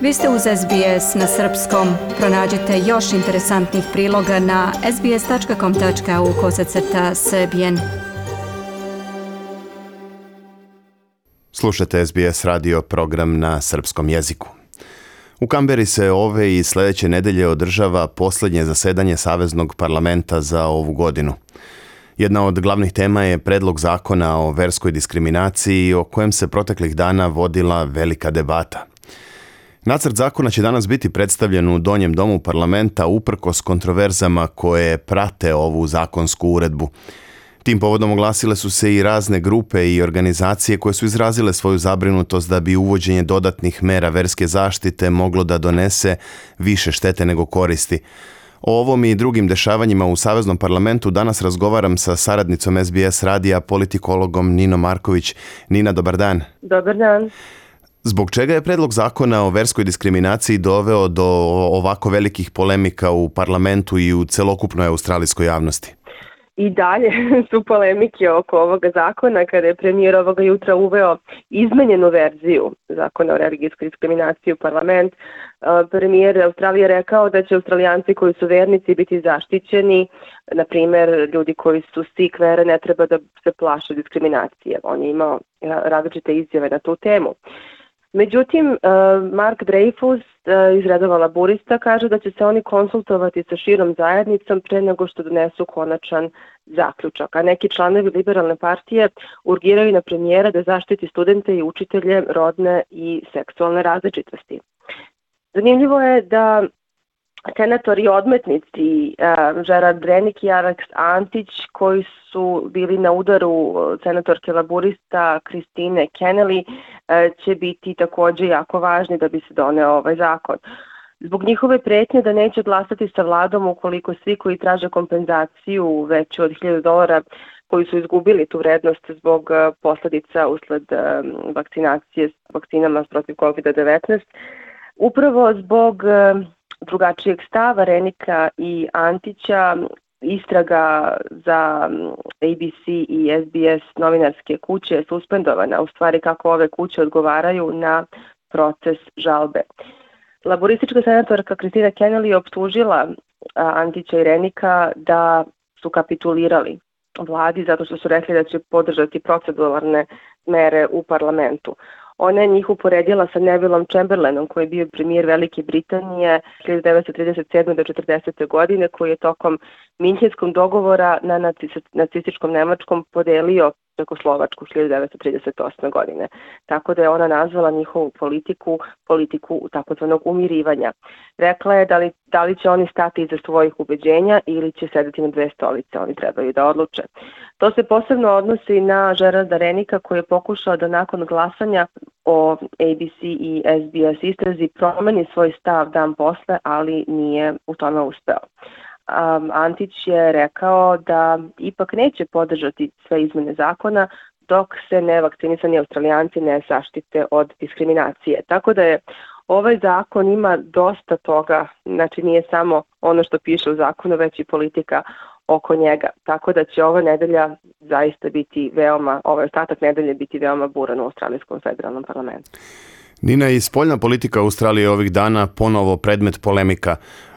Vi ste uz SBS na srpskom. Pronađite još interesantnih priloga na sbs.com.au/srbijen. Slušate SBS radio program na srpskom jeziku. U Kamberi se ove i sljedeće nedelje održava posljednje zasedanje Saveznog parlamenta za ovu godinu. Jedna od glavnih tema je predlog zakona o verskoj diskriminaciji o kojem se proteklih dana vodila velika debata. Nacrt zakona će danas biti predstavljen u Donjem domu parlamenta uprkos kontroverzama koje prate ovu zakonsku uredbu. Tim povodom oglasile su se i razne grupe i organizacije koje su izrazile svoju zabrinutost da bi uvođenje dodatnih mera verske zaštite moglo da donese više štete nego koristi. O ovom i drugim dešavanjima u Saveznom parlamentu danas razgovaram sa saradnicom SBS radija, politikologom Ninom Marković. Nina, dobar dan. Dobar dan. Zbog čega je predlog zakona o verskoj diskriminaciji doveo do ovako velikih polemika u parlamentu i u celokupnoj australijskoj javnosti? I dalje su polemike oko ovoga zakona kada je premijer ovoga jutra uveo izmenjenu verziju zakona o religijskoj diskriminaciji u parlament. Premijer Australije rekao da će Australijanci koji su vernici biti zaštićeni, na primjer ljudi koji su Sikh vere ne treba da se plaše diskriminacije. On je imao različite izjave na tu temu. Međutim, Mark Dreyfus iz redova laburista kaže da će se oni konsultovati sa širom zajednicom pre nego što donesu konačan zaključak. A neki članovi liberalne partije urgiraju na premijera da zaštiti studente i učitelje rodne i seksualne različitosti. Zanimljivo je da senatori odmetnici Gerard Rennick i Alex Antić, koji su bili na udaru senatorke laburista Christine Kennelly, će biti također jako važni da bi se doneo ovaj zakon. Zbog njihove pretnje da neće glasati sa vladom ukoliko svi koji traže kompenzaciju veću od $1,000 koji su izgubili tu vrednost zbog posljedica usled vakcinacije s vakcinama protiv COVID-19, upravo zbog drugačijeg stava Renika i Antića, istraga za ABC i SBS novinarske kuće je suspendovana, u stvari kako ove kuće odgovaraju na proces žalbe. Laboristička senatorka Christine Kennelly je optužila Antića i Renika da su kapitulirali vladi zato što su rekli da će podržati proceduralne mere u parlamentu. Ona je njih uporedila sa Nevillom Chamberlainom, koji je bio premijer Velike Britanije 1937. do 1940. godine, koji je tokom Minhenskog dogovora na nacističkom Nemačkom podelio Čekoslovačku 1938. godine. Tako da je ona nazvala njihovu politiku takozvanog umirivanja. Rekla je da li će oni stati iza svojih ubeđenja ili će sedeti na dve stolice, oni trebaju da odluče. To se posebno odnosi na Gerarda Rennika, koji je pokušao da nakon glasanja o ABC i SBS istrazi promeni svoj stav dan posle, ali nije u tome uspeo. Antić je rekao da ipak neće podržati sve izmene zakona dok se nevakcinisani Australijanci ne zaštite od diskriminacije. Tako da je ovaj zakon ima dosta toga, znači nije samo ono što piše u zakonu, već i politika oko njega. Tako da će ova nedelja zaista biti ovaj ostatak nedelje biti veoma buran u Australijskom federalnom parlamentu. Nina, i spoljna politika Australije ovih dana ponovo predmet polemika.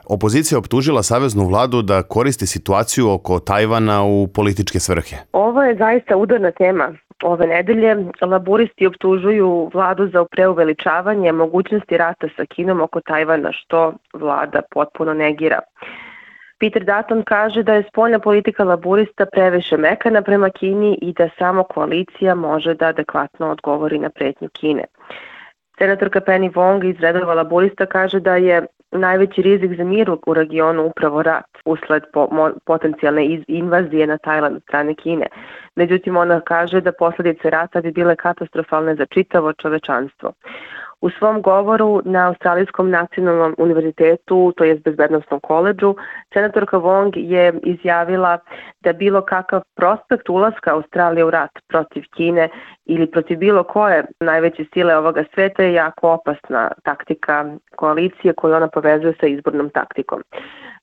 Opozicija optužila saveznu vladu da koristi situaciju oko Tajvana u političke svrhe. Ovo je zaista udarna tema ove nedelje. Laburisti optužuju vladu za preuveličavanje mogućnosti rata sa Kinom oko Tajvana, što vlada potpuno negira. Peter Dutton kaže da je spoljna politika laburista previše mekana prema Kini i da samo koalicija može da adekvatno odgovori na pretnju Kine. Senatorka Penny Wong iz redova laburista kaže da je najveći rizik za mir u regionu upravo rat usled potencijalne invazije na Tajland od strane Kine. Međutim, ona kaže da posljedice rata bi bile katastrofalne za čitavo čovečanstvo. U svom govoru na Australijskom nacionalnom univerzitetu, to jest bezbednostnom koledžu, senatorka Wong je izjavila da bilo kakav prospekt ulaska Australije u rat protiv Kine ili protiv bilo koje najveće sile ovoga sveta je jako opasna taktika koalicije koju ona povezuje sa izbornom taktikom.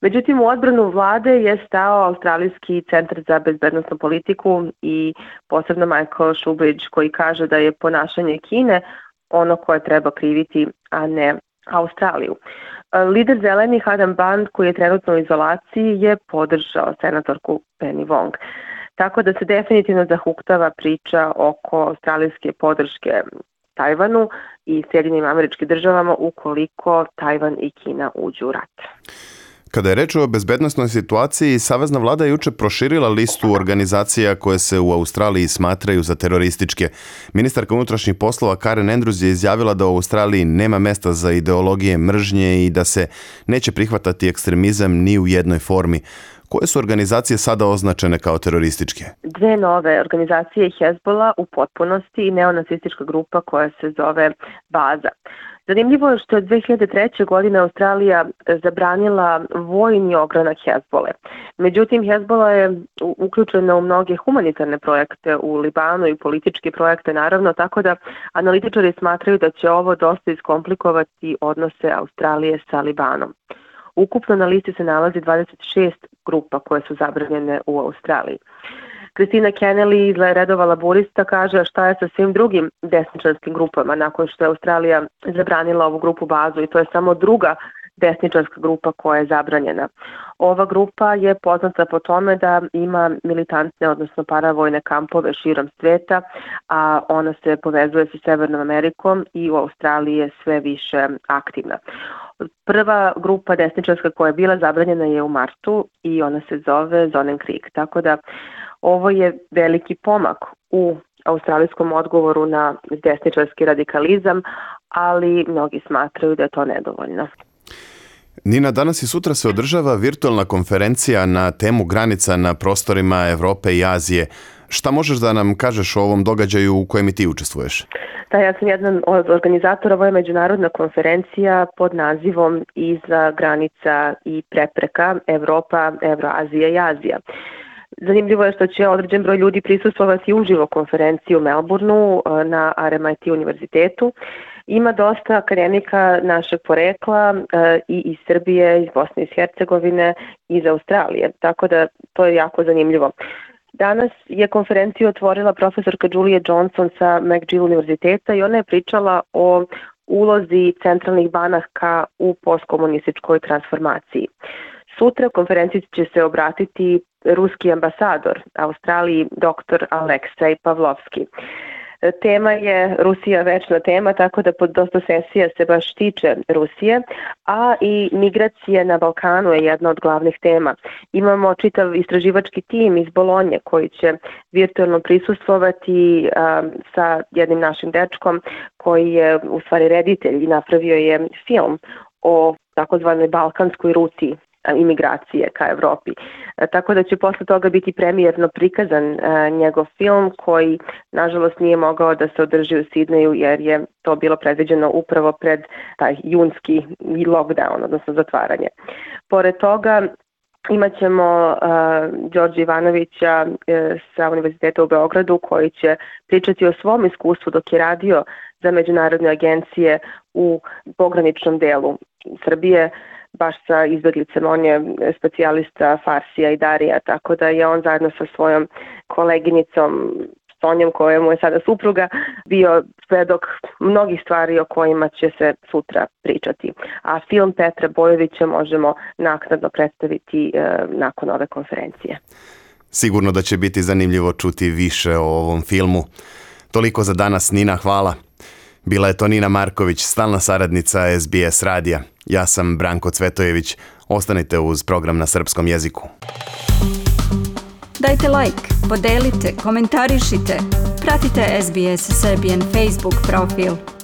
Međutim, u odbranu vlade je stao Australijski centar za bezbednostnu politiku i posebno Michael Shoebridge, koji kaže da je ponašanje Kine ono koje treba kriviti, a ne Australiju. Lider zelenih Adam Band, koji je trenutno u izolaciji, je podržao senatorku Penny Wong. Tako da se definitivno zahuktava priča oko australijske podrške Tajvanu i Sjedinjenim Američkim Državama ukoliko Tajvan i Kina uđu u rat. Kada je reč o bezbednosnoj situaciji, Savezna vlada je juče proširila listu organizacija koje se u Australiji smatraju za terorističke. Ministarka unutrašnjih poslova Karen Andrews je izjavila da u Australiji nema mesta za ideologije mržnje i da se neće prihvatati ekstremizam ni u jednoj formi. Koje su organizacije sada označene kao terorističke? Dve nove organizacije, Hezbollah u potpunosti i neonacistička grupa koja se zove Baza. Zanimljivo je što je 2003. godine Australija zabranila vojni ogranak Hezbolle. Međutim, Hezbollah je uključena u mnoge humanitarne projekte u Libanu i političke projekte naravno, tako da analitičari smatraju da će ovo dosta iskomplikovati odnose Australije sa Libanom. Ukupno na listi se nalazi 26 grupa koje su zabranjene u Australiji. Kristina Kennelly iz redova laborista kaže šta je sa svim drugim desničarskim grupama nakon što je Australija zabranila ovu grupu Bazu i to je samo druga desničarska grupa koja je zabranjena. Ova grupa je poznata po tome da ima militantne, odnosno paravojne kampove širom sveta, a ona se povezuje sa Severnom Amerikom i u Australiji je sve više aktivna. Prva grupa desničarska koja je bila zabranjena je u martu i ona se zove Zonnenkrieg, tako da ovo je veliki pomak u australijskom odgovoru na desničarski radikalizam, ali mnogi smatraju da je to nedovoljno. Nina, danas i sutra se održava virtualna konferencija na temu granica na prostorima Evrope i Azije. Šta možeš da nam kažeš o ovom događaju u kojem i ti učestvuješ? Da, ja sam jedan od organizatora. Ovo je međunarodna konferencija pod nazivom Iza granica i prepreka Evropa, Evroazija i Azija. Zanimljivo je što će određen broj ljudi prisustvovati uživo konferenciji u Melbourneu na RMIT univerzitetu. Ima dosta akademika našeg porekla i iz Srbije, iz Bosne i Hercegovine i iz Australije, tako da to je jako zanimljivo. Danas je konferenciju otvorila profesorka Julia Johnson sa McGill univerziteta i ona je pričala o ulozi centralnih banaka u postkomunističkoj transformaciji. Sutra konferenciji će se obratiti ruski ambasador Australiji dr. Aleksej Pavlovski. Tema je Rusija večna tema, tako da pod dosta sesija se baš tiče Rusije, a i migracije na Balkanu je jedna od glavnih tema. Imamo čitav istraživački tim iz Bolonje koji će virtualno prisustvovati sa jednim našim dečkom koji je u stvari reditelj i napravio je film o takozvanoj balkanskoj ruti imigracije ka Evropi. Tako da će posle toga biti premijerno prikazan njegov film koji nažalost nije mogao da se održi u Sidneju jer je to bilo predviđeno upravo pred taj junski lockdown, odnosno zatvaranje. Pored toga imaćemo Đorđe Ivanovića sa Univerziteta u Beogradu koji će pričati o svom iskustvu dok je radio za međunarodne agencije u pograničnom delu Srbije, baš sa izbeglicom. On je specijalista Farsija i Darija, tako da je on zajedno sa svojom koleginicom Sonjom, koja mu je sada supruga, bio svedok mnogih stvari o kojima će se sutra pričati. A film Petra Bojovića možemo naknadno predstaviti nakon ove konferencije. Sigurno da će biti zanimljivo čuti više o ovom filmu. Toliko za danas, Nina, hvala. Bila je to Nina Marković, stalna saradnica SBS radija. Ja sam Branko Cvetojević. Ostanite uz program na srpskom jeziku. Dajte like, podelite, komentarišite. Pratite SBS Serbian Facebook profil.